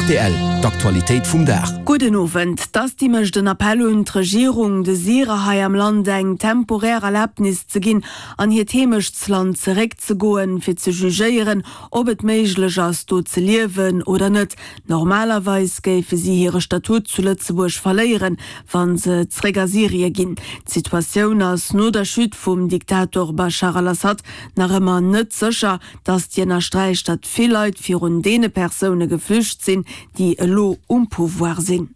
Rtl, D'Aktualitéit vum Dag. Gudden Owend. D'Asti mécht en Appell un d'Regierung, de Syrer hei am Land eng temporär Erlabnis ze ginn, an hiert Heemechtsland zeréckzegoen, fir ze jugéieren, ob et méiglech ass, do ze liewen oder net. Normalerweis géife si hire Statut zu Lëtzebuerg verléieren, wa se zréck a Syrie ginn. D'Situatioun ass no der Chute vum Diktator Baschar al-Assad nach ëmmer net sécher. D'Asti ënnersträicht, datt vill Leit virun deene Persoune geflücht sinn, déi elo um Pouvoir sinn.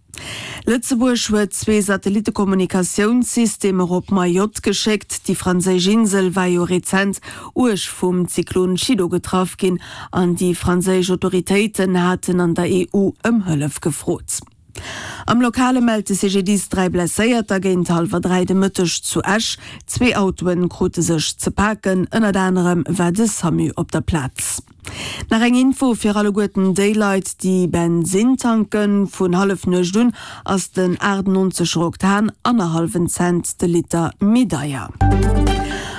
Lëtzebuerg huet zwee Satellittekommunikatiounssystemer op Mayotte geschéckt. Déi franséisch Insel war jo rezent uerg vum Zyklon Chido getraff ginn an déi franséisch Autoritéiten haten an der EU ëm Hëllef gefrot. Am Lokale mellt de CGDIS 3 Blesséierter géint hallwer 3 de Mëtteg zu Esch. Zwee Autoen krute sech ze paken, ënnert anerem war de Samu op der Plaz. Nach eng Info fir alleguerten déi Leit déi Bensinn tanken, Vun Hallefnuecht un ass den 98 er Oktan annerhallwen Cent de Liter méi deier.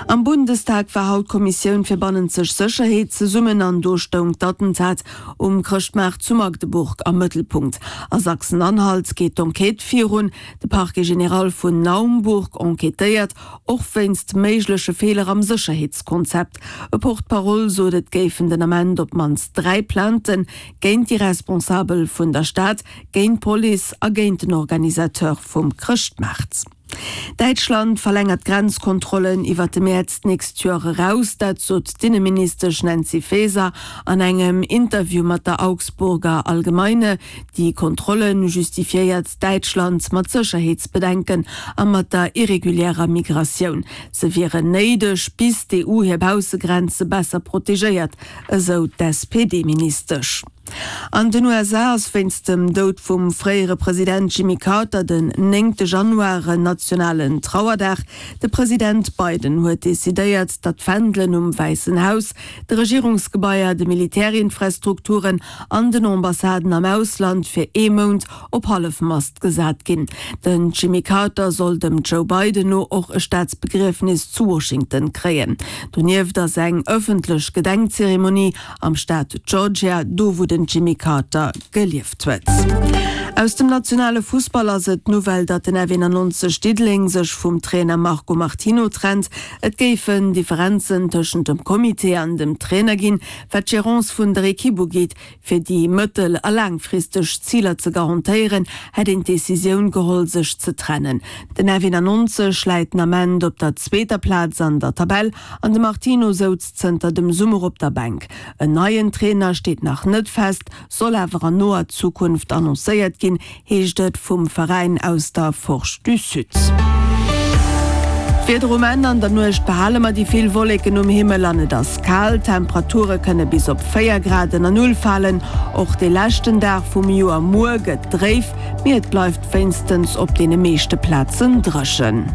Am Bundestag war haut d'Kommissioun fir bannenzeg Sécherheet zesummen an do stoung d'Attentat Um Chrëschtmaart zu Magdeburg am Mëttelpunkt. A Sachsen-Anhalt geet d'Enquête virun. De Parquet général vun Naumburg enquêtéiert och wéinst méigleche Feeler am Sécherheetskonzept. E Porte-parole sot, et géifen den Ament op d'mannst 3 Plaintë géint déi Responsabel vun der Stad, géint d'Police a géint den Organisateur vum Chrëschtmaart. Däitschland verlängert d'Grenzkontrollen iwwer de Mäerz d'nächst Joer eraus. Dat sot d'Inneministesch Nancy Faeser an engem Interview mat der Augsburger Allgemeine. Déi Kontrolle justifiéiert Däitschland mat Sécherheetsbedenken a mat der irreguliärer Migratioun. Se wieren néideg, bis d'EU hir Baussegrenze besser protegéiert, esou d'SPD-Ministesch. An den USA ass wéinst dem Doud vum fréiere President Jimmy Carter den néngte Januar en nationalen Trauerdag. De President Biden huet decidéiert, datt d'Fändelen um Wäissen Haus, de Regierungsgebaier, de Militärinfrastrukturen an den Ambassaden am Ausland fir ee Mount op Hallefmast gesat ginn. Den Jimmy Carter soll dem Joe Biden no och e Staatsbegriefnis zu Washington kréien. Donieft ass eng ëffentlech Gedenkzeremonie am Staat Georgia, do wou den Jimmy Carter gelieft huet. Aus dem nationale Fussball ass et d'Nouvelle, datt den F91 Diddeleng sech vum Trainer Marco Martino trennt. Et géifen Differenzen tëschent dem Comité an dem Trainer ginn, wat d'Gerance vun der Ekipp ugeet. Fir déi mëttel a laangfristeg Ziler ze garantéieren, hätt een d'Decisioun geholl, sech ze trennen. Den F91 läit den Ament op der zweeter Plaz an der Tabell An de Martino souz zënter dem Summer op der Bänk. En neien Trainer steet nach net fest, soll awer an noer Zukunft annoncéiert ginn, heescht et vum Veräin aus der Forge du Sud. D'Wieder um Enn, An der Nuecht behale mer déi vill Wolleken um Himmel an et ass kal. D'Temperature kënne bis op 4 Grad ënner Null falen. Och de leschten Dag vum Joer, muer, gëtt dréif, mee et bleift wéinstens op deene meeschte Plazen dréchen.